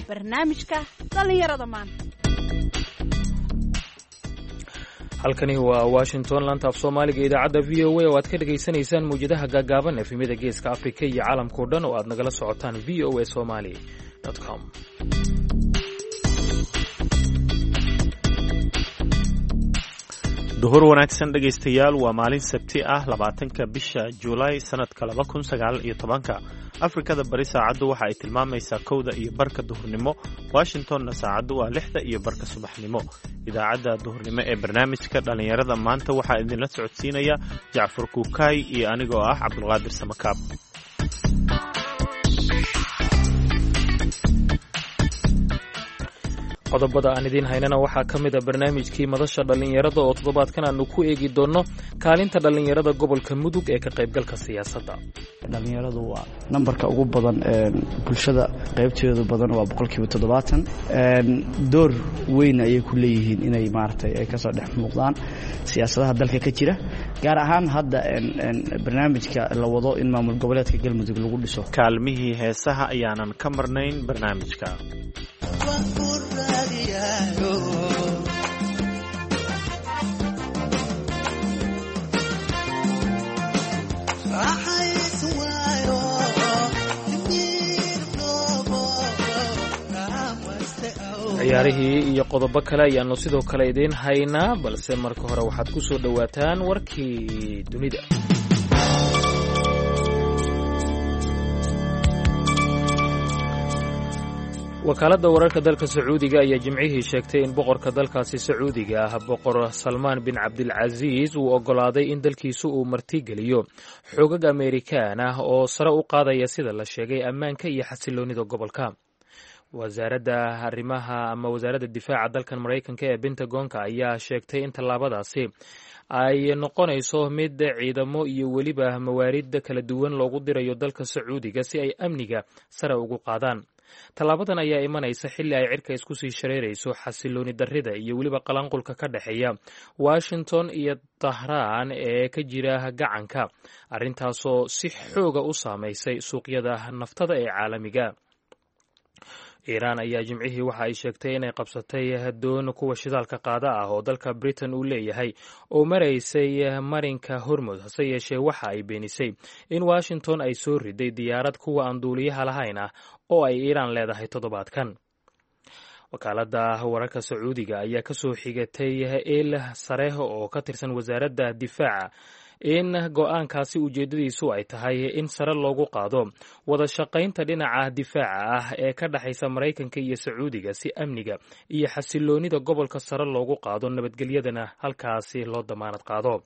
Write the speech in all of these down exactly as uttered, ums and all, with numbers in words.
Barnaamijka dhallinyarada maanta. Halkani waa Washington, laanta af Soomaaliga, idaacadda V O A oo aad ka dhegaysanaysaan mawjadaha gaagaaban, efemyada Geeska Afrika iyo caalamkao dhan oo aad nagala socotaan V O A Somali com. Duhur wanaagsan, dhegaystayaal. Waa maalin Sabti ah, labaatanka bisha Juulaay, sanadka laba kun sagaal iyo tobanka. Afrikada Bari saacaddu waxa ay tilmaamaysaa kowda iyo barka duhurnimo, Washingtonna saacaddu waa lixda iyo barka subaxnimo. Idaacadda duhurnimo ee barnaamijka dhallinyarada maanta waxaa idinla socodsiinaya Jacfar Kuukaay iyo anigoo ah Cabdulqaadir Samakaab. Qodobada aan idiin haynana waxaa ka mid a barnaamijkii madasha dhallinyarada oo toddobaadkan aanu ku eegi doonno kaalinta dhallinyarada gobolka Mudug ee ka qaybgalka siyaasadda. Dhallinyaradu waa nambarka ugu badan ee bulshada, qaybteedu badan waa boqolkiiba toddobaatan. Door weyn ayay ku leeyihiin inay maaragtay ay kasoo dhex muuqdaan siyaasadaha dalka ka jira, gaar ahaan hadda barnaamijka la wado in maamul goboleedka Galmudug lagu dhiso. Kaalmihii heesaha ayaanan ka marnayn barnaamijka. Ciyaarihii iyo qodobo kale ayaannu sidoo kale idiin haynaa, balse marka hore waxaad ku soo dhowaataan warkii dunida. Wakaaladda wararka dalka Sacuudiga ayaa Jimcihii sheegtay in boqorka dalkaasi Sacuudiga ah, Boqor Salmaan bin Cabdilcasiis, uu oggolaaday in dalkiisu uu martigeliyo xoogag Ameerikaan ah oo sare u qaadaya, sida la sheegay, ammaanka iyo xasiloonnida gobolka. Wasaaradda arrimaha ama wasaaradda difaaca dalkan Maraykanka ee Pentagonka ayaa sheegtay in tallaabadaasi ay noqonayso mid ciidamo iyo weliba mawaarid kala duwan loogu dirayo dalka Sacuudiga si ay amniga sare ugu qaadaan. Tallaabadan ayaa imanaysa xilli ay cirka isku sii shareerayso xasilooni darrida iyo weliba qalanqulka ka dhexeeya Washington iyo Tahraan ee ka jira gacanka, arrintaasoo si xooga u saamaysay suuqyada naftada ee caalamiga. Iiraan ayaa Jimcihii waxa ay sheegtay inay qabsatay doon kuwa shidaalka qaada ah oo dalka Britain uu leeyahay oo maraysay marinka Hormud. Hase yeeshee, waxa ay beenisay in Washington ay soo riday diyaarad kuwa aan duuliyaha lahayn ah oo ay Iiraan leedahay toddobaadkan. Wakaaladda wararka Sacuudiga ayaa kasoo xigatay il sare oo ka tirsan wasaaradda difaaca in go-aankaasi ujeeddadiisu ay tahay in sare loogu qaado wada shaqaynta dhinaca difaaca ah ee ka dhexaysa Maraykanka iyo Sacuudiga, si amniga iyo xasiloonida gobolka sare loogu qaado, nabadgelyadana halkaasi loo damaanad qaado.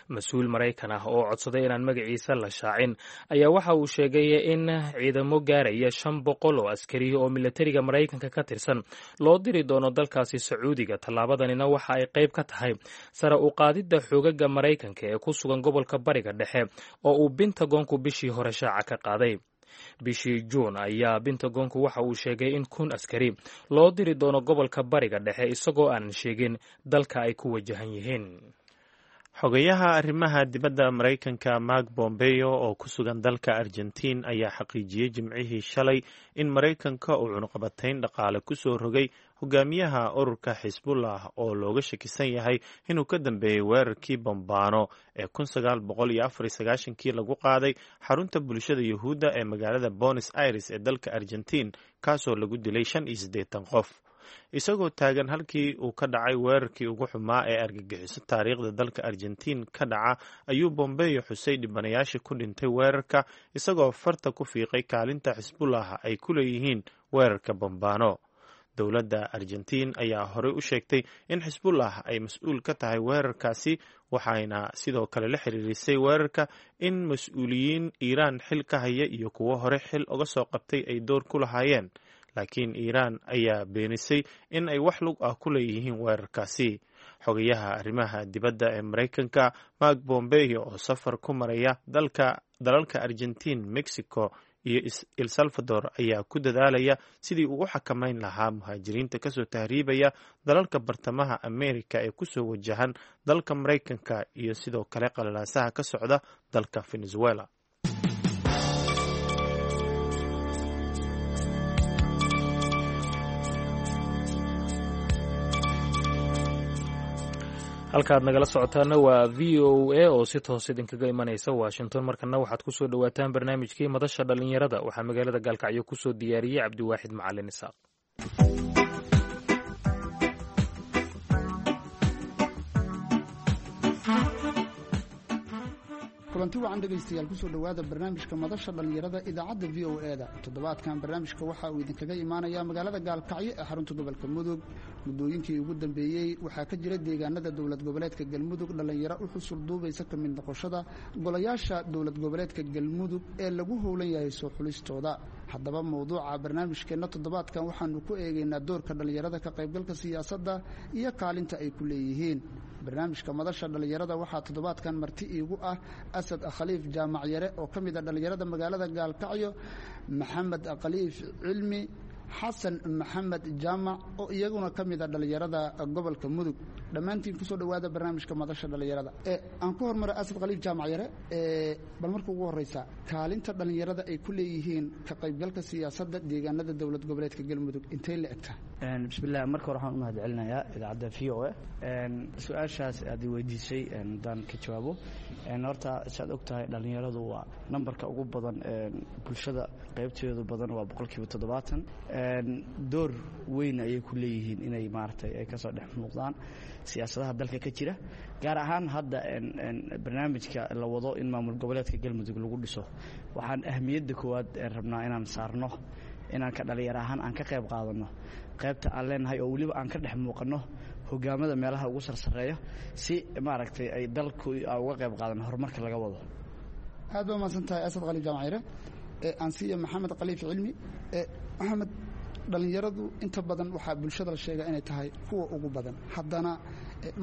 Mas-uul Maraykan ah oo codsaday inaan magaciisa la shaacin ayaa waxa uu sheegay in ciidamo gaaraya shan boqol oo askari oo milatariga Maraykanka ka tirsan loo diri doono dalkaasi Sacuudiga. Tallaabadanina waxa ay qayb ka tahay sare u qaadidda xoogaga Maraykanka ee ku sugan gobolka Bariga Dhexe oo uu Pentagonku bishii hore shaaca ka qaaday. Bishii Juun ayaa Pentagonku waxa uu sheegay in kun askari loo diri doono gobolka Bariga Dhexe, isagoo aanan sheegin dalka ay ku wajahan yihiin. Xogayaha arrimaha dibadda Maraykanka Mark Bombeo oo ku sugan dalka Argentiin ayaa xaqiijiyey Jimcihii shalay in Maraykanka uu cunuqabatayn dhaqaale ku soo rogay hogaamiyaha ururka Xisbullah oo looga shakisan yahay inuu ka dambeeyey weerarkii bambaano ee kun sagaal boqol iyo afar iyo sagaashankii lagu qaaday xarunta bulshada Yuhuudda ee magaalada Buenos Aires ee dalka Argentiin, kaasoo lagu dilay shan iyo siddeetan qof. Isagoo taagan halkii uu ka dhacay weerarkii ugu xumaa ee argagixiso taariikhda dalka Argentiin ka dhaca ayuu Bombeyo xusay dhibanayaashii ku dhintay weerarka, isagoo farta ku fiiqay kaalinta Xisbullah ay ku leeyihiin weerarka bambaano. Dowladda Argentiin ayaa horey u sheegtay in Xisbullah ay mas-uul ka tahay weerarkaasi, waxayna sidoo kale la xiriirisay weerarka in mas-uuliyiin Iiraan xil ka haya iyo kuwo hore xil uga soo qabtay ay door ku lahaayeen, laakiin Iiraan ayaa beenisay in ay wax lug ah ku leeyihiin weerarkaasi. Xogayaha arrimaha dibadda ee Maraykanka Mark Bombeo oo safar ku maraya dalka dalalka Argentiin, Mexico iyo El Salvador ayaa ku dadaalaya sidii uu u xakamayn lahaa muhaajiriinta kasoo tahriibaya dalalka bartamaha Amerika ee kusoo wajahan dalka Maraykanka iyo sidoo kale qalalaasaha ka socda dalka Venezuela. Halkaad nagala socotaana waa V O A oo si toos idinkaga imanaysa Washington. Markana waxaad kusoo dhowaataan barnaamijkii Madasha Dhallinyarada. Waxaa magaalada Gaalkacyo kusoo diyaariyey Cabdiwaaxid Macalin Isaaq. Kulanti wacan dhegaystayaal, kusoo dhowaada barnaamijka Madasha Dhallinyarada idaacadda V O E da. Toddobaadkan barnaamijka waxa uu idinkaga imaanayaa magaalada Gaalkacyo ee xarunta gobolka Mudug. Muddooyinkii ugu dambeeyey waxaa ka jira deegaanada dowlad goboleedka Galmudug dhallinyaro u xusul duubaysa ka mid noqoshada golayaasha dowlad goboleedka Galmudug ee lagu howlan yahay soo xulistooda. Haddaba mowduuca barnaamijkeenna toddobaadkan waxaanu ku eegaynaa doorka dhallinyarada ka qaybgalka siyaasadda iyo kaalinta ay ku leeyihiin. Barnaamijka Madasha Dhallinyarada waxaa toddobaadkan marti iigu ah Asad Khaliif Jaamac Yare oo ka mid a dhallinyarada magaalada Gaalkacyo, Maxamed Khaliif Cilmi, Xasan Maxamed Jaamac oo iyaguna ka mid a dhallinyarada gobolka Mudug. Dhammaantiin kusoo dhowaada barnaamijka Madasha Dhallinyarada. Aan ku hormara Asad Khaliif Jaamac Yare. Bal marka ugu horeysa, kaalinta dhallinyarada ay ku leeyihiin ka qaybgalka siyaasadda deegaanada dowlad goboleedka Galmudug intay la egtaa? Bismillaah, marka hore waxaan u mahad celinayaa idaacadda V O A. Su-aashaas aad i weydiisay haddaan ka jawaabo, horta saad og tahay dhallinyaradu waa nambarka ugu badan bulshada, qaybteedu badan waa boqolkiiba toddobaatan. Door weyn ayay ku leeyihiin inay maaragtay ay kasoo dhex muuqdaan siyaasadaha dalka ka jira, gaar ahaan hadda barnaamijka la wado in maamul goboleedka Galmudug lagu dhiso. Waxaan ahmiyadda koowaad rabnaa inaan saarno inaan ka dhalinyar ahaan aan ka qayb qaadano qaybta aan leenahay, oo weliba aan ka dhex muuqanno hogaamada meelaha ugu sarsareeya, si maaragtay ay dalku uga qayb qaadano horumarka laga wado. Aad baa mahadsan tahay Asad Khaliif Jaamacire. Ansiya Maxamed Khaliif Cilmi. Maxamed, dhallinyaradu inta badan waxaa bulshada la sheegaa inay tahay kuwa ugu badan, haddana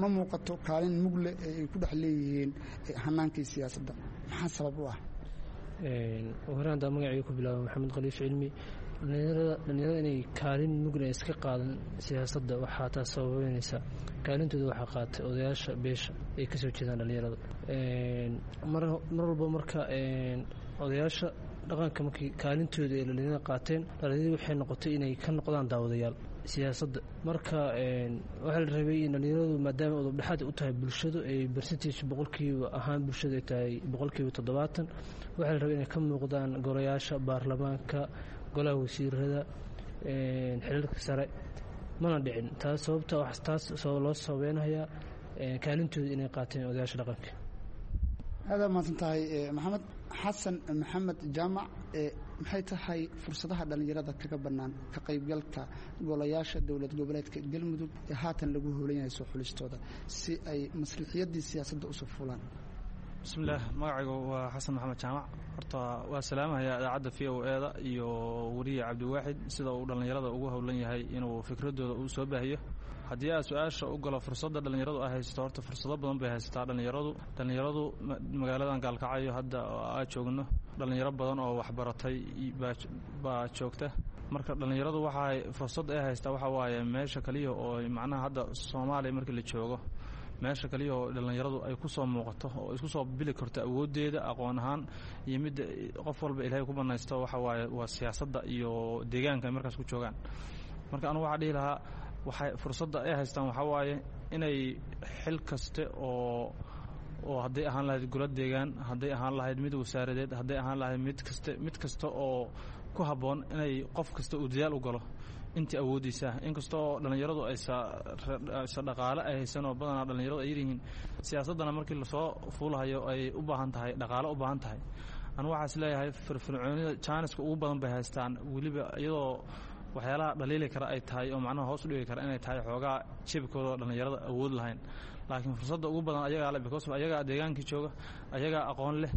ma muuqato kaalin mugle ee ay ku dhex leeyihiin hanaankii siyaasadda. Maxaa sabab u ah? Hore haddaa magacii ku bilaaba, Maxamed Khaliif Cilmi. Dhalinyarada inay kaalin mugna iska qaadan siyaasadda waxaa taas sababeynaysa kaalintooda waxaa qaatay odayaasha beesha ay kasoo jeedaan dhalinyarada mar walba. Marka odayaasha dhaqanka markii kaalintooda ay dhalinyarada qaateen, dhalinyaradi waxay noqotay inay ka noqdaan daawadayaal siyaasadda. Marka waxaa la rabay in dhalinyaradu, maadaama udubdhexaad u tahay bulshadu, ay percentage boqolkiiba ahaan bulshadu ay tahay boqolkiiba toddobaatan, waxaa la rabay inay ka muuqdaan golayaasha baarlamaanka, golaha wasiirada, xilalka sare. Mana dhicin taas. Sababta taas loo sababeynayaa kaalintooda inay qaateen odayaasha dhaqanka. Aada mahadsan tahay Maxamed. Xasan Maxamed Jaamac, maxay tahay fursadaha dhallinyarada kaga bannaan ka qaybgalka golayaasha dowlad goboleedka Galmudug ee haatan lagu howlan yahay soo xulistooda si ay maslixiyadii siyaasadda usoo fulaan? Bismillaah, magacaygu waa Xasan Maxamed Jaamac. Horta waa salaamahayaa idaacadda V O E da iyo weriye Cabdiwaaxid, sida uu dhallinyarada ugu howlan yahay inuu fikradooda uu soo baahiyo. Haddii aad su-aasha u galo fursadda dhallinyaradu ay haysato, horta fursado badan bay haysataa dhallinyaradu. Dhallinyaradu magaaladan Gaalkacyo hadda aa joogno dhallinyaro badan oo waxbaratay baa joogta. Marka dhallinyaradu waxay fursad ay haystaa waxa waaye meesha kaliya oo macnaha hadda Soomaaliya markii la joogo, meesha kaliya oo dhallinyaradu ay ku soo muuqato oo isku soo bili karto awooddeeda aqoon ahaan iyo midda qof walba Ilaahay ku banaysto waxa waaye waa siyaasadda iyo deegaanka ay markaas ku joogaan. Marka anugu waxaa dhihi lahaa, waxay fursadda ay haystaan waxaa waaye inay xil kaste oo oo hadday ahaan lahayd golo deegaan, hadday ahaan lahayd mid wasaaradeed, hadday ahaan lahayd mid kaste, mid kasta oo ku habboon, inay qof kasta uu dadaal u galo intii awooddiisa. Inkastoo dhallinyaradu aysa aysa dhaqaale ay haysan oo badanaa dhallinyaradu ay yaryihiin, siyaasaddana markii lasoo fuulahayo ay u baahan tahay dhaqaale u baahan tahay. Anu waxaa is leeyahay firfircoonida jaaniska ugu badan bay haystaan, weliba iyadoo waxyaalaha dhaliili kara ay tahay oo macnaha hoos u dhigi kara inay tahay xoogaa jebkooda oo dhallinyarada awood lahayn, laakiin fursadda ugu badan ayagaa leh, because ayagaa deegaankii jooga, ayagaa aqoon leh,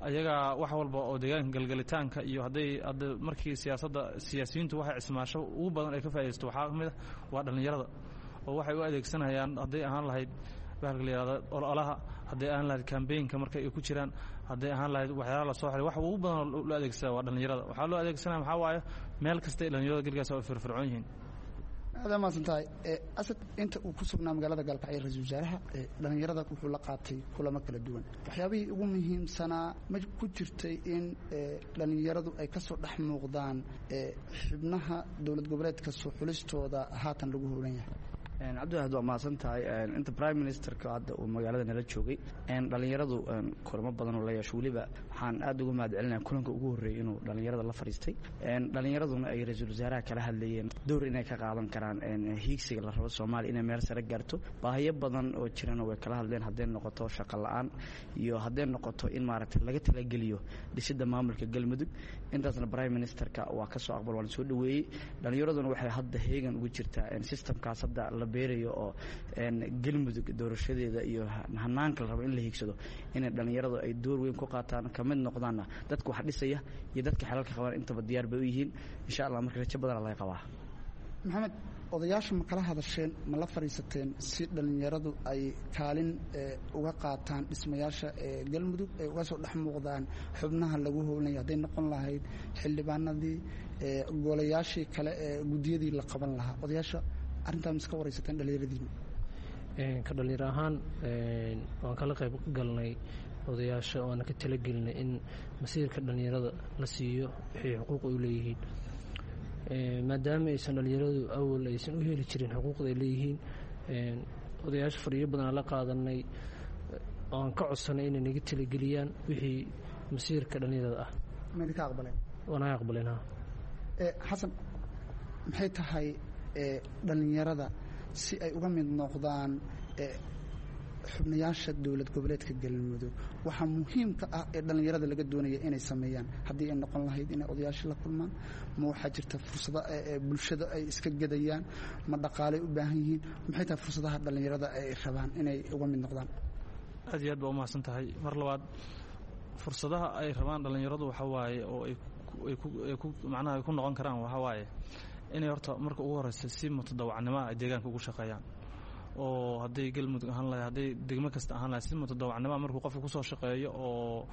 ayagaa wax walba oo deegaanka galgalitaanka iyo hadday hadda markii siyaasadda siyaasiyiintu waxay cismaasho ugu badan ay ka faaidaysto waxaa ka mid ah waa dhallinyarada, oo waxay u adeegsanayaan hadday ahaan lahayd bahalka la yihahda ololaha, hadday ahaan lahayd kambeynka marka ay ku jiraan, hadday ahaan lahayd waxyaalaha lasoo xiray, wax ugu badan oo loo adeegsada waa dhallinyarada. Waxaa loo adeegsanaya maxaa waaye meel kasta ay dhallinyarada galgaas ay firfircoon yihiin. Aada mahadsan tahay Asad. Inta uu ku sugnaa magaalada Gaalkacyo ra-iisul wasaaraha dhallinyarada wuxuu la qaatay kulamo kala duwan. Waxyaabihii ugu muhiimsanaa ma ku jirtay in dhallinyaradu ay ka soo dhex muuqdaan xubnaha dowlad goboleedka soo xulistooda haatan lagu howlan yahay? Cabdiwaxid, waa mahadsan tahay. Inta prime ministerka hadda uu magaalada nala joogay, dhallinyaradu kulamo badan oo la yeesho. Weliba waxaan aad uga mahad celinaya kulanka ugu horreeyey inuu dhallinyarada la fadhiistay, dhallinyaraduna ay ra-iisul wasaaraha kala hadlayeen dowr inay ka qaadan karaan hiigsiga la rabo Soomaaliya inay meel sare gaarto. Baahiyo badan oo jirana way kala hadleen, hadday noqoto shaqo la-aan iyo hadday noqoto in maaragtay laga talageliyo dhisidda maamulka Galmudug. Intaasna prime ministerka waa ka soo aqbal, waana soo dhoweeyey. Dhallinyaraduna waxay hadda heegan ugu jirtaa systemkaas hadda la beerayo oo Galmudug doorashadeeda iyo hanaanka la rabo in la hiigsado, inay dhallinyaradu ay door weyn ku qaataan, ka mid noqdaanna dadka wax dhisaya iyo dadka xelalka qabaan. Intaba diyaar bay u yihiin, insha Allah. Marka rajo badana laga qabaa. Maxamed, odayaasha ma kala hadasheen, ma la fadhiisateen si dhallinyaradu ay kaalin uga qaataan dhismayaasha ee Galmudug, ay uga soo dhex muuqdaan xubnaha lagu howlanya, hadday noqon lahayd xildhibaanadii, golayaashii kale ee guddiyadii la qaban lahaa? Odayaasha arrintaa ma iska waraysateen dhallinyaradiina? Ka dhallinyaro ahaan waan kala qayb galnay odayaasha, waana ka talagelinay in masiirka dhallinyarada la siiyo wixii xuquuq u leeyihiin, maadaama aysan dhallinyaradu awal aysan u heli jirin xuquuqda ay leeyihiin. Odayaasha fadhiyo badanaa la qaadanay oan ka codsanay inay naga talageliyaan wixii masiirka dhallinyarada ah. Ma idinka aqbaleen? Waa naga aqbaleen, ha. Xasan, maxay tahay dhallinyarada si ay uga mid noqdaan xubnayaasha dowlad goboleedka Galmudug waxaa muhiimka ah ee dhallinyarada laga doonaya inay sameeyaan, haddii ay noqon lahayd inay odayaasha la kulmaan? Ma waxaa jirta fursado bulshada ay iska gedayaan? Ma dhaqaalay u baahan yihiin? Maxay tahay fursadaha dhallinyarada ay rabaan inay uga mid noqdaan? Aad iyo aad baa umahadsan tahay. Mar labaad, fursadaha ay rabaan dhallinyaradu waxa waaye oo ay ku macnaha ay ku noqon karaan waxa waaye inay horta marka ugu horeysa si mutadawacnimoa ay deegaanka ugu shaqeeyaan, oo hadday Galmudug ahaan lahay, hadday degmo kasta ahaan lahay, si mutadawacnimoa markuu qofka kusoo shaqeeyo oo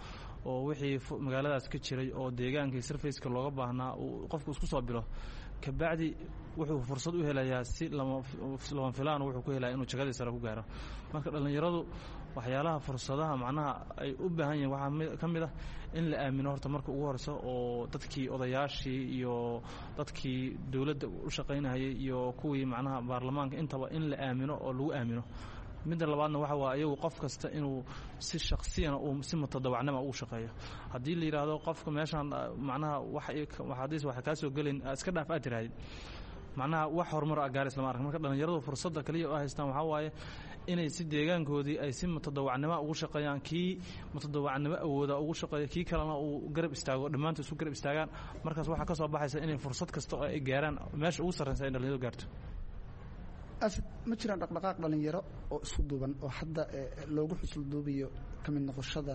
oo wixii magaaladaas ka jiray oo deegaankii sarfaceka looga baahnaa uu qofku isku soo bilo, kabacdi wuxuu fursad u helayaa si lama lama filaan wuxuu ku helaya inuu jagadii sare ku gaaro. Marka dhallinyaradu waxyaalaha fursadaha macnaha ay u baahan yihiin waxaa ka mid ah in la aamino horta marka ugu horeyso, oo dadkii odayaashii iyo dadkii dowladda u shaqaynayay iyo kuwii macnaha baarlamaanka intaba in la aamino oo lagu aamino. Midda labaadna waxa waa iyagu qof kasta inuu si shaksiyana uu si mutadawacnima ugu shaqeeyo. Haddii la yidhaahdo qofka meeshaan macnaha wax haddiis waxa kaa soo gelin iska dhaaf aad tirahdid, macnaha wax horumar a gaaris lama ark. Marka dhallinyaradu fursadda kaliya oo haystaan waxaa waaye inay si deegaankoodii ay si mutadawacnimo ugu shaqeeyaan, kii mutadawacnimo awooda ugu shaqeeyo, kii kalena uu garab istaago, dhammaantood isku garab istaagaan. Markaas waxaa ka soo baxaysa inay fursad kasta oo ay gaaraan meesha ugu sarreysa ay dhallinyaradu gaarto. Asad, ma jiraan dhaqdhaqaaq dhallinyaro oo isku duuban oo hadda loogu xusul duubayo ka mid noqoshada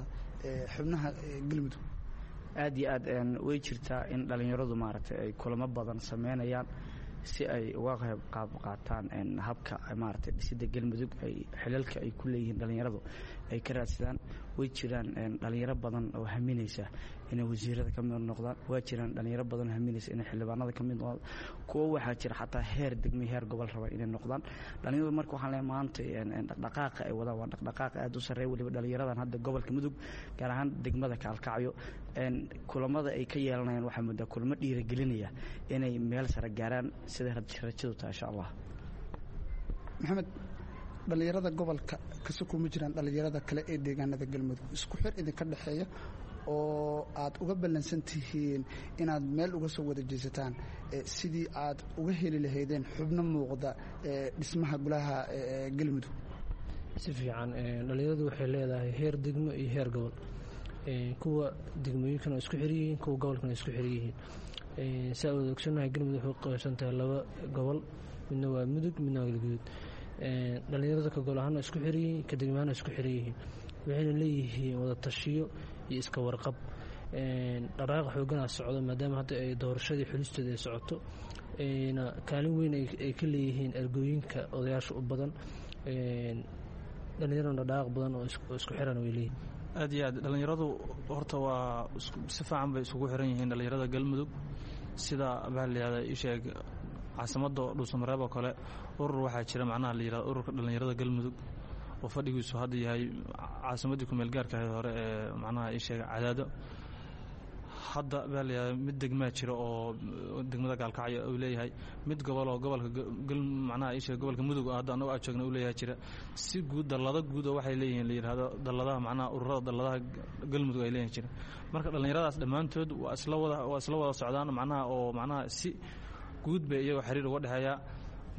xubnaha Galmudug? Aad iyo aad way jirtaa in dhallinyaradu maaragtay ay kulamo badan sameynayaan si ay uga qayb qaab qaataan habka maaragtay dhisidda Galmudug, ay xilalka ay ku leeyihiin dhallinyaradu ay ka raadsadaan. Way jiraan dhallinyaro badan oo haminaysa inay wasiirada ka mid noqdaan, waa jiraan dhallinyaro badan oo haminaysa inay xildhibaanada ka mid noqdaan, kuwo waxaa jira xataa heer degmay, heer gobol raba inay noqdaan dhallinyaradu. Marka waxaan leeyahay maanta dhaqdhaqaaqa ay wadaan waa dhaqdhaqaaq aad u sarreeya. Weliba dhallinyaradan hadda gobolka Mudug, gaar ahaan degmada Kaalkacyo, kulamada ay ka yeelanayaan waxaa muddaa kulamo dhiirigelinaya inay meel sare gaaraan, sida rajadu tahay, insha Allah. Maxamed, dhallinyarada gobolka kase kuma jiraan dhallinyarada kale ee deegaanada Galmudug isku xir idinka dhexeeya oo aad uga ballansan tihiin inaad meel uga soo wada jeesataan sidii aad uga heli lahaydeen xubno muuqda dhismaha golaha Galmudug? Si fiican. Dhallinyaradu waxay leedahay heer degmo iyo heer gobol. Kuwa degmooyinkana isku xir yihiin, kuwa gobolkana isku xir yihiin. Saa wada ogsoonnahay, Galmudug waxay qaybsan tahay laba gobol, midna waa Mudug, midna waa Galguduud. Dhallinyarada ka gobol ahaana isku xir yihiin, ka degmo ahaana isku xir yihiin, waxayna leeyihiin wada tashiyo iyo iska warqab. Dhaqaaqa xooganaa socdo, maadaama hadda ay doorashadii xulisteeda ay socoto, na kaalin weyn ay ka leeyihiin ergooyinka odayaasha u badan. Dhallinyarana dhaqaaq badan oo isku xiran way leeyihiin. Aad iyo aad, dhallinyaradu horta waa si fiican bay isugu xiran yihiin dhallinyarada Galmudug. Sida baa la yihahda isheeg caasimadda Dhuusamareeb oo kale, urur waxaa jira macnaha la yihahdo ururka dhallinyarada Galmudug oo fadhigiisu hadda yahay caasimaddii kumeel gaarka ahayd hore ee macnaha isheeg Cadaado. Hadda baa layahay mid degmaa jira oo degmada Gaalkacyo uu leeyahay, mid gobol oo gobolka macnaha isha gobolka Mudug hadda annagu aad joogna uu leeyahay jira. Si guud dallado guud oo waxay leeyihiin la yidhaahdo dalladaha, macnaha ururada dalladaha Galmudug ay leeyihin jira. Marka dhallinyaradaas dhammaantood waa isla wada waa isla wada socdaan, macnaha oo macnaha si guud bay iyagoo xiriir uga dhexeeya.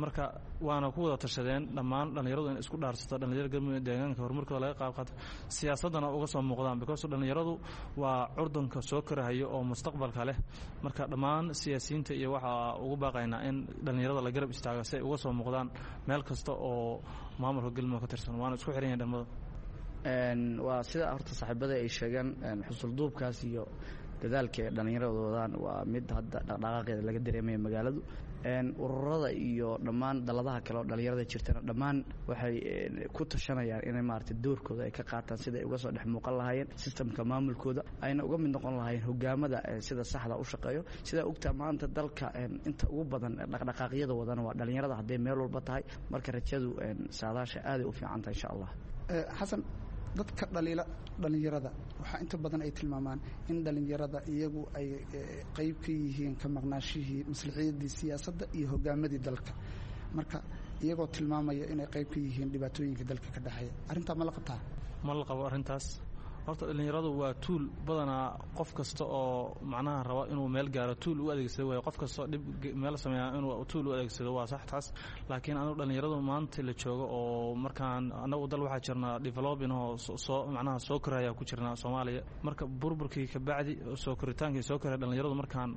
Marka waana ku wada tashadeen dhammaan dhallinyaradu in isku dhaarsato dhallinyarada Galmudug deegaanka horumarkooda laga qaab qaato, siyaasaddana uga soo muuqdaan, because dhallinyaradu waa curdunka soo korahayo oo mustaqbalka leh. Marka dhammaan siyaasiyiinta iyo waxaa ugu baaqaynaa in dhallinyarada la garab istaago si ay uga soo muuqdaan meel kasta oo maamulka Galmudug ka tirsan, waana isku xiran yahin dhalmada. Waa sida horta saaxiibada ay sheegeen, xusulduubkaas iyo dadaalka ay dhallinyaradu wadaan waa mid hadda dhaqdhaqaaqeeda laga dareemaya magaaladu. Ururada iyo dhammaan dalladaha kale oo dhallinyarada jirtana dhammaan waxay ku tashanayaan inay maaragtay doorkooda ay ka qaataan sida ay uga soo dhex muuqan lahaayeen sistamka maamulkooda, ayna uga mid noqon lahaayeen hogaamada sida saxda u shaqeeyo. Sidaa ogtaa maanta dalka inta ugu badan dhaqdhaqaaqyada wadana waa dhallinyarada hadday meel walba tahay. Marka rajadu saadaasha aaday u fiican tahay insha Allah. Xasan, dadka dhaliila dhallinyarada waxaa inta badan ay tilmaamaan in dhallinyarada iyagu ay qayb ka yihiin ka maqnaashihii maslaxiyaddii siyaasadda iyo hogaamadii dalka, marka iyagoo tilmaamaya inay qayb ka yihiin dhibaatooyinka dalka ka dhexeeya. Arrintaa ma la qabtaa? Ma la qabo arrintaas. Horta dhallinyaradu waa tuul badanaa qof kasta oo macnaha raba inuu meel gaaro tuul u adeegsado waayo. Qof kastoo dhib meel sameeya inuu tuul u adeegsado waa sax taas, laakiin anigu dhallinyaradu maanta la joogo oo markaan annagu dal waxaa jirnaa developing oo soo macnaha soo koraya ku jirnaa Soomaaliya. Marka burburkii ka bacdi soo koritaankii soo koraya dhallinyaradu markaan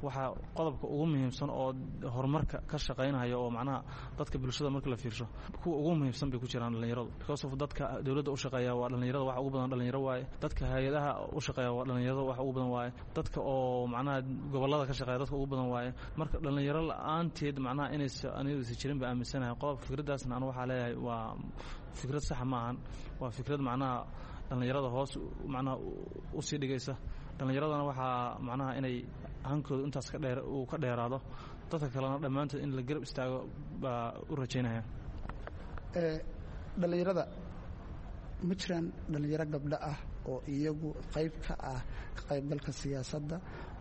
waxaa qodobka ugu muhiimsan oo horumarka ka shaqaynaya oo macnaha dadka bulshada marka la fiirsho kuwa ugu muhiimsan bay ku jiraan dhallinyaradu, because of dadka dowladda u shaqeeya waa dhallinyarada, waxa ugu badan dhallinyaro waaye. Dadka hay-adaha u shaqeeya waa dhallinyarada wax ugu badan waaye. Dadka oo macnaha gobollada ka shaqeeya dadka ugu badan waaye. Marka dhallinyaro la-aanteed macnaha inaysa anigaysa jirin ba aaminsanahay qodob. Fikraddaasna anu waxaa leeyahay waa fikrad saxa ma ahan, waa fikrad macnaha dhallinyarada hoos macnaha usii dhigaysa. Dhallinyaradana waxaa macnaha inay hankooda intaas ka dheer uu ka dheeraado, dadka kalena dhammaantood in la garab istaago baa u rajaynaya. Dhallinyarada ma jiraan dhallinyaro gabdho ah oo iyagu qayb ka ah ka qaybgalka siyaasadda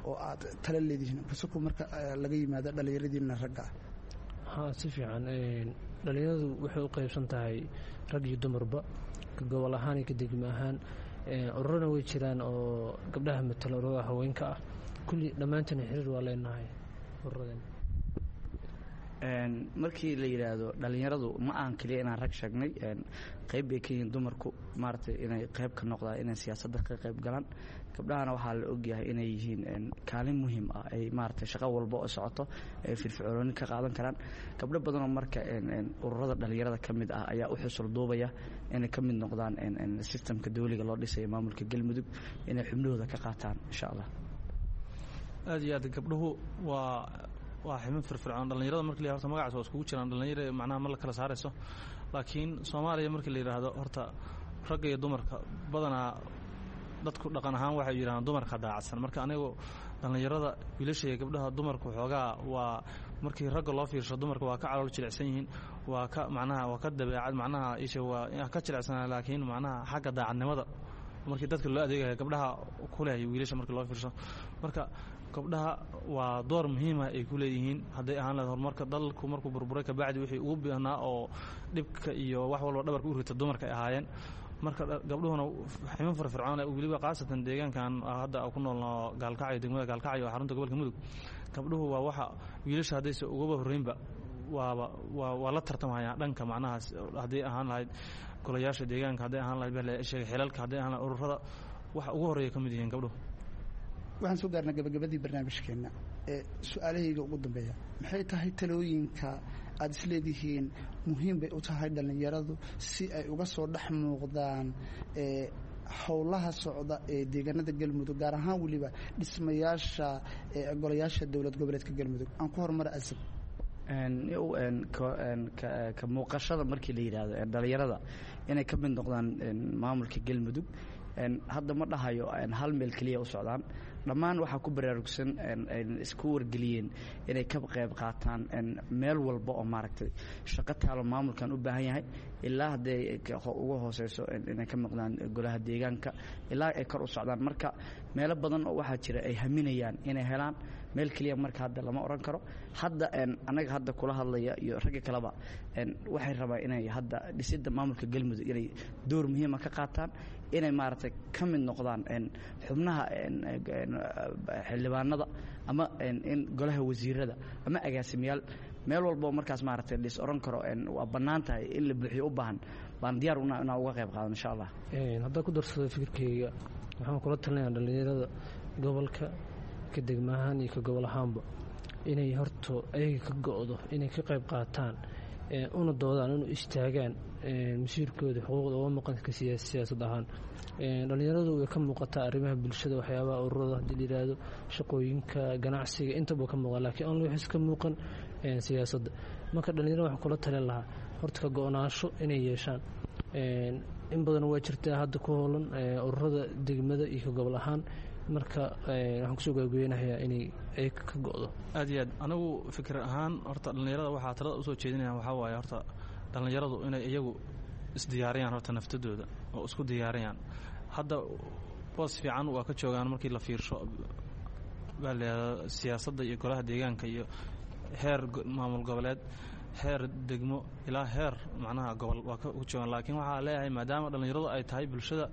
oo aad tala leedihiin kasuku marka laga yimaado dhallinyaradiina ragga ah? Haa, si fiican. Dhallinyaradu waxay u qaybsan tahay rag iyo dumarba, ka gobol ahaan iyo ka degmo ahaan. Ururana way jiraan oo gabdhaha matala, ururada haweenka ah. Kulli dhammaantina xiriir waa leenahay ururadan. Markii la yidhaahdo dhallinyaradu ma ahan keliya inaan rag sheegnay, qayb bay ka yihiin dumarku maaragtay inay qayb ka noqdaan, inay siyaasadda ka qayb galaan. Gabdhahana waxaa la ogyahay inay yihiin kaalin muhiim ah ay maaragtay shaqo walba oo socoto ay firfircooni ka qaadan karaan. Gabdho badanoo marka ururada dhallinyarada ka mid ah ayaa u xusul duubaya inay ka mid noqdaan sistamka dawliga loo dhisayo maamulka Galmudug, inay xubnahooda ka qaataan insha Allah. Aad iyo aad gabdhuhu waa waa xibin firfircoon dhallinyarada. Marki la horta magacaas waa iskugu jiraan dhallinyara, macnaha ma la kala saarayso, laakiin Soomaaliya markii la yidhaahdo horta ragga iyo dumarka badanaa dadku dhaqan ahaan waxay yidhahdaan dumarka daacadsan. Marka anigu dhallinyarada wiilasha iyo gabdhaha dumarku xoogaa waa markii ragga loo fiirsho dumarka waa ka calool jilicsan yihiin, waa ka macnaha waa ka dabeecad macnaha isha waa ka jilicsanaa, laakiin macnaha xagga daacadnimada markii dadka loo adeegayo gabdhaha ku leh wiilasha markii loo fiirsho. Marka gabdhaha waa door muhiima ay ku leeyihiin hadday ahaan lahayd horumarka dalku markuu burburay kabacdi wixii ugu baahnaa oo dhibka iyo wax walba dhabarka u rita dumarka ay ahaayeen. Marka gabdhuhuna ximin firfircoon weliba khaasatan deegaankan hadda ku noolnoo Gaalkacyo, degmada Gaalkacyo oo xarunta gobolka Mudug, gabdhuhu waa waxa wiilasha haddayse ugaba horreynba waaba waa waa la tartamhayaan dhanka macnahaas, hadday ahaan lahayd golayaasha deegaanka, hadday ahaan lahayd baa sheegay xilalka, hadday ahaan lahayd ururada, waxa ugu horreeya ka mid yihiin gabdhuhu. Waxaan soo gaarnay gabagabadii barnaamijkeenna ee su-aalahayga ugu dambeeya. Maxay tahay talooyinka aada isleedihiin muhiim bay u tahay dhallinyaradu si ay uga soo dhex muuqdaan ee howlaha socda ee deegaanada Galmudug, gaar ahaan weliba dhismayaasha golayaasha dowlad goboleedka Galmudug? Aan ku horumara Asad. Ka muuqashada markii la yidhaahdo dhallinyarada inay ka mid noqdaan maamulka Galmudug, hadda ma dhahayo hal meel keliya u socdaan, Dhammaan waxaa ku baraarugsan isku wargeliyeen inay ka qayb qaataan meel walba oo maaragtay shaqo taalo maamulkan u baahan yahay, ilaa hadday uga hooseyso inay ka maqdaan golaha deegaanka ilaa ay kor u socdaan. Marka meelo badan oo waxaa jira ay haminayaan inay helaan meel keliya. Marka hadda lama oran karo hadda annaga hadda kula hadlaya iyo ragga kaleba waxay rabaan inay hadda dhisidda maamulka Galmudug inay door muhiima ka qaataan, inay maaragtay ka mid noqdaan xubnaha xildhibaanada ama in golaha wasiirada ama agaasimayaal meel walbo markaas maaragtay dhis oran karo waa bannaan tahay in la buuxiyo u baahan baan diyaar una inaan uga qayb qaadan insha Allah. Haddaan ku darsado fikirkayga, waxaan kula talinayaa dhallinyarada gobolka ka degma ahaan iyo ka gobol ahaanba inay horto ayaga ka go'do inay ka qayb qaataan, una doodaan, inu istaagaan masiirkooda xuquuqda uga maqan ka siyaasad ahaan. Dhallinyaradu way ka muuqataa arrimaha bulshada, waxyaabaha ururada haddii la yidhaahdo, shaqooyinka, ganacsiga, intaba ka muuqan, laakiin aan waxis ka muuqan siyaasadda. Marka dhallinyarada waxaan kula talin lahaa horta ka go'naansho inay yeeshaan. In badan waa jirtaa hadda ku hoolan ururada degmada iyo ka gobol ahaan. Marka waxaan kusoo gabagabeynayaa inay ay ka go'do. Aad iyo aad, anigu fikir ahaan horta dhallinyarada waxaa talada usoo jeedinaya waxaa waaye horta dhallinyaradu inay iyagu isdiyaariyaan horta naftadooda oo isku diyaariyaan. Hadda boos fiican waa ka joogaan markii la fiirsho baa layihahdaa siyaasadda iyo golaha deegaanka iyo heer maamul goboleed, heer degmo ilaa heer macnaha gobol waa ka joogaan. Laakiin waxaa leeyahay maadaama dhallinyaradu ay tahay bulshada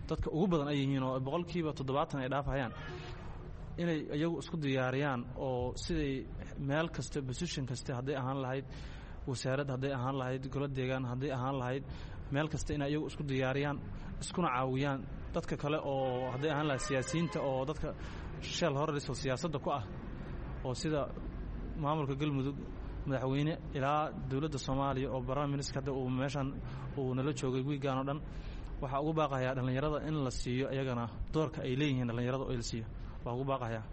dadka ugu badan ay yihiin oo boqolkiiba toddobaatan ay dhaafayaan, inay iyagu isku diyaariyaan oo siday meel kasta position kasta hadday ahaan lahayd wasaarad, hadday ahaan lahayd golo deegaan, hadday ahaan lahayd meel kasta, inay iyagu isku diyaariyaan iskuna caawiyaan dadka kale oo hadday ahaan lahayd siyaasiyiinta oo dadka sheel horeriso siyaasadda ku ah oo sida maamulka Galmudug, madaxweyne ilaa dowladda Soomaaliya oo prime minister hadda uu meeshan uu nala joogay wiigaan oo dhan. Waxaa ugu baaqayaa dhallinyarada in la siiyo iyagana doorka ay leeyihiin dhallinyarada oo la siiyo waa ugu baaqayaa.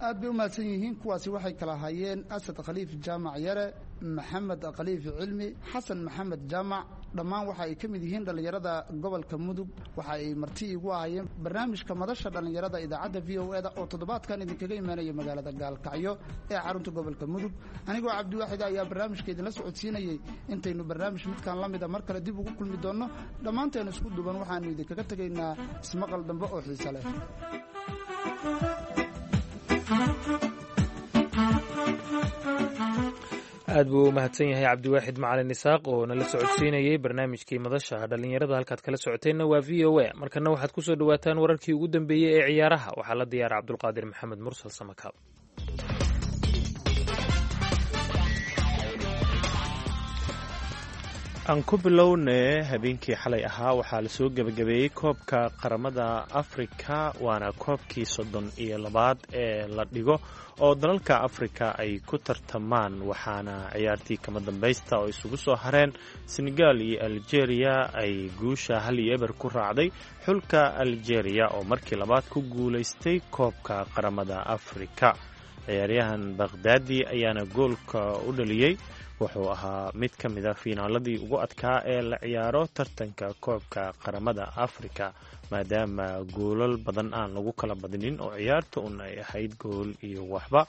Aad bay u mahadsan yihiin kuwaasi. Waxay kala hayeen Asad Khaliif Jaamac Yare, Maxamed Khaliif Cilmi, Xasan Maxamed Jaamac. Dhammaan waxa ay ka mid yihiin dhallinyarada gobolka Mudug. Waxa ay marti igu ahayeen barnaamijka madasha dhallinyarada idaacadda V O E da oo toddobaadkan idinkaga imaanaya magaalada Gaalkacyo ee xarunta gobolka Mudug. Anigoo Cabdiwaaxid ayaa barnaamijka idinla socodsiinayey. Intaynu barnaamij midkan la mida mar kale dib ugu kulmi doonno, dhammaanteenu isku duban waxaanu idinkaga tegaynaa ismaqal dambe oo xiise leh. Aad buu u mahadsan yahay Cabdiwaaxid Macalin Isaaq oo nala socodsiinayey barnaamijkii madasha dhallinyarada. Halkaad kala socoteenna waa V O A. Markana waxaad ku soo dhowaataan wararkii ugu dambeeyey ee ciyaaraha. Waxaa la diyaara Cabdulqaadir Maxamed Mursal Samakaab. Aan ku bilowne, habeenkii xalay ahaa waxaa lasoo gebagabeeyey koobka qaramada Afrika, waana koobkii soddon iyo labaad ee la dhigo oo dalalka Afrika ay ku tartamaan. Waxaana ciyaartii kama dambaysta oo isugu soo hareen Senegal iyo Algeria ay guusha hal iyo eber ku raacday xulka Algeria oo markii labaad ku guulaystay koobka qaramada Afrika. Ciyaaryahan Bakhdaadi ayaana goolka u dhaliyey. Wuxuu ahaa mid ka mid a fiinaaladii ugu adkaa ee la ciyaaro tartanka koobka qaramada Afrika, maadaama goolal badan aan lagu kala badinin oo ciyaarta un ay ahayd gool iyo waxba.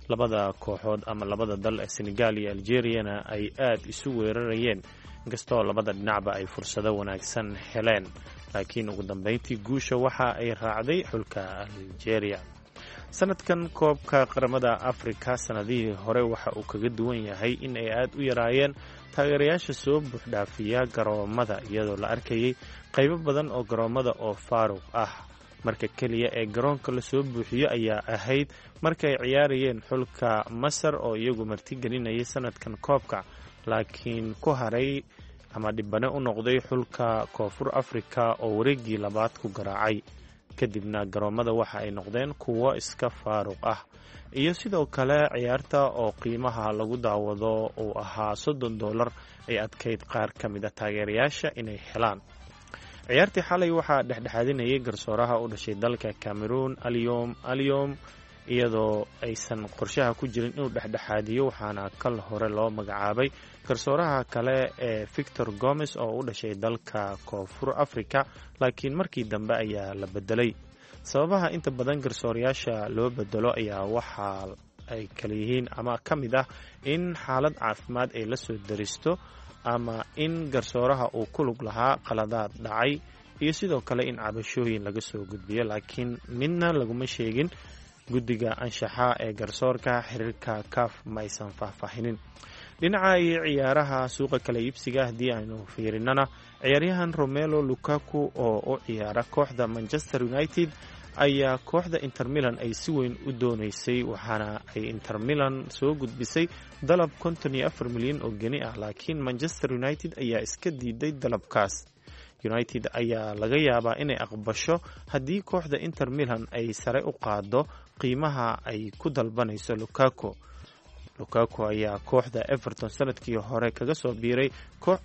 Labada kooxood ama labada dal ee Senegal iyo Algeriyana ay aad isu weerarayeen, inkastoo labada dhinacba ay fursado wanaagsan heleen, laakiin ugu dambeyntii guusha waxa ay raacday xulka Algeria. Sanadkan koobka qaramada Afrika sanadihii hore waxa uu kaga duwan yahay in ay aad u yaraayeen taageerayaasha soo buuxdhaafiya garoomada, iyadoo la arkayay qaybo badan oo garoomada oo faaruq ah. Marka keliya ee garoonka lasoo buuxiyo ayaa ahayd markay ciyaarayeen xulka Masar oo iyagu martigelinayay sanadkan koobka, laakiin ku haray ama dhibane u noqday xulka Koonfur Afrika oo wareegii labaad ku garaacay. Kadibna garoomada waxa ay noqdeen kuwo iska faaruq ah, iyo sidoo kale ciyaarta oo qiimaha lagu daawado uu ahaa soddon dollar ay adkayd qaar ka mid a taageerayaasha inay helaan. Ciyaartii xalay waxaa dhexdhexaadinayay garsooraha u dhashay dalka Cameroon, Aliom Aliom, iyadoo aysan qorshaha ku jirin inuu dhexdhexaadiyo. Waxaana kal hore loo magacaabay garsooraha kale ee Victor Gomes oo u dhashay dalka Koonfur Africa, laakiin markii dambe ayaa la bedelay. Sababaha inta badan garsoorayaasha loo bedelo ayaa waxaa ay kala yihiin ama ka mid ah in xaalad caafimaad ay la soo daristo, ama in garsooraha uu ku lug lahaa qaladaad dhacay, iyo sidoo kale in cabashooyin laga soo gudbiyo. Laakiin midna laguma sheegin guddiga anshaxa ee garsoorka xiriirka CAF ma aysan faahfaahinin. Dhinaca iyo ciyaaraha suuqa kala iibsiga haddii aynu fiirinana, ciyaaryahan Romelo Lukaku oo u ciyaara kooxda Manchester United ayaa kooxda Inter Milan ay si weyn u dooneysay, waxaana ay Inter Milan soo gudbisay dalab konton iyo afar milyan oo geni ah, laakiin Manchester United ayaa iska diiday dalabkaas. United ayaa laga yaabaa inay aqbasho haddii kooxda Inter Milan ay sare u qaado qiimaha ay ku dalbanayso Lukaku. Lukaku ayaa kooxda Everton sanadkii hore kaga soo biiray koox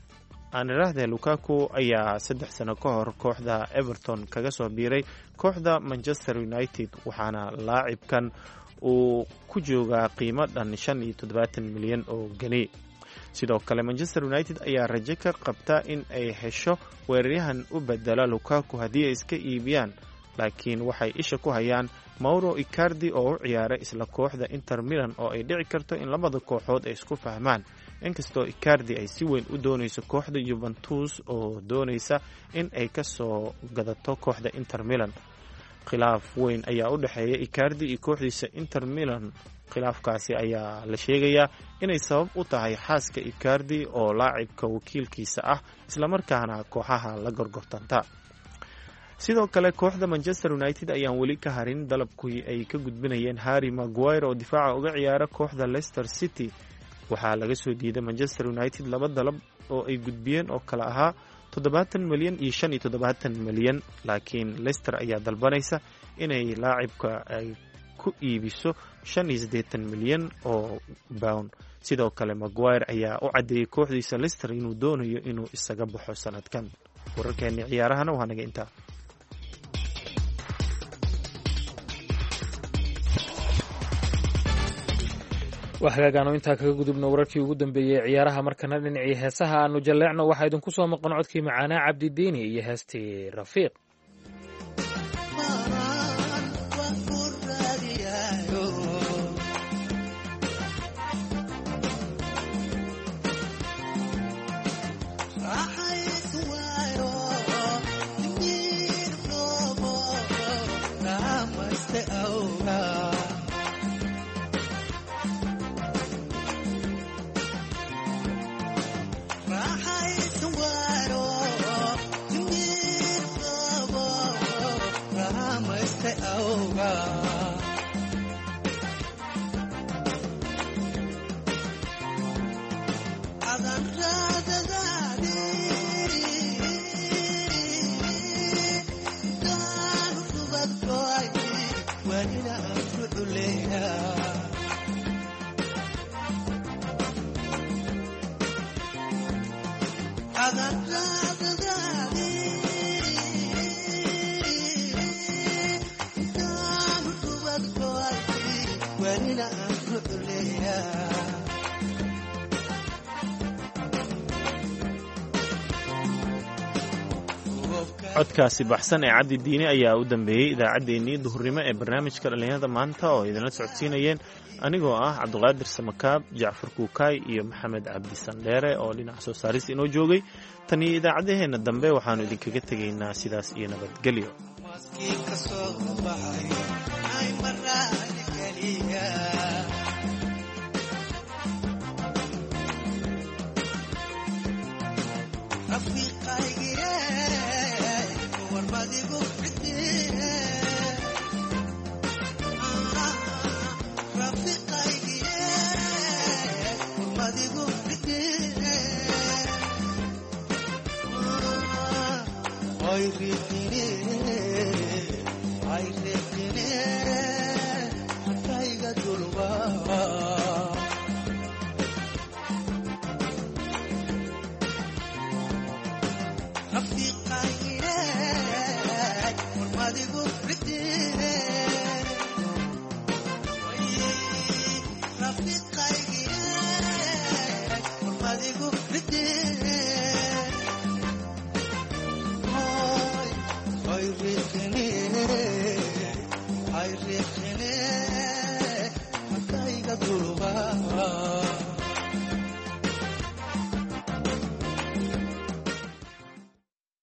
aan idhaahdee Lukaku ayaa saddex sano ka hor kooxda Everton kaga soo biiray kooxda Manchester United, waxaana laacibkan uu ku joogaa qiimo dhan shan iyo toddobaatan milyan oo geni. Sidoo kale Manchester United ayaa rajo ka qabta in ay hesho weeraryahan u bedela Lukaku haddii ay iska iibiyaan, laakiin waxay isha ku hayaan Mauro Icardi oo u ciyaaray isla kooxda Inter Milan, oo ay dhici karto in labada kooxood ay isku fahmaan, inkastoo Icardi ay si weyn u doonayso kooxda Juventus oo doonaysa in ay ka soo gadato kooxda Inter Milan. Khilaaf weyn ayaa u dhexeeya Icardi iyo kooxdiisa Inter Milan. Khilaafkaasi ayaa la sheegayaa inay sabab u tahay xaaska Icardi oo laacibka wakiilkiisa ah, islamarkaana kooxaha la gorgortanta. Sidoo kale kooxda Manchester United ayaan weli ka harin dalabkii ay ka gudbinayeen Harry Maguire oo difaaca uga ciyaara kooxda Leicester City. Waxaa laga soo diiday Manchester United laba dalab oo ay gudbiyeen oo kale ahaa toddobaatan milyan iyo shan iyo toddobaatan milyan, laakiin Leicester ayaa dalbanaysa inay laacibka ay ku iibiso shan iyo siddeetan milyan oo pound. Sidoo kale Maguire ayaa u caddeeyey kooxdiisa Leicester inuu doonayo inuu isaga baxo sanadkan. Wararkeeni ciyaarahana waa naga intaa. Waa hagaagaanu intaa kaga gudubno wararkii ugu dambeeyey ciyaaraha. Markana dhinacii heesaha aanu jalleecno, waxaa idinku soo maqan codkii macaanaa Cabdidiini iyo heestii Rafiiq. Codkaasi baxsan ee Cabdi Diini ayaa u dambeeyey idaacaddeenii duhurnimo ee barnaamijka dhallinyarada maanta, oo idinla socodsiinayeen anigoo ah Cabdiqaadir Samakaab, Jacfar Kuukaay iyo Maxamed Cabdi Sandheere oo dhinaca soo saarista inoo joogay. Tan iyo idaacaddaheenna dambe waxaannu idinkaga tegaynaa sidaas iyo nabadgelyo. Rafiqay.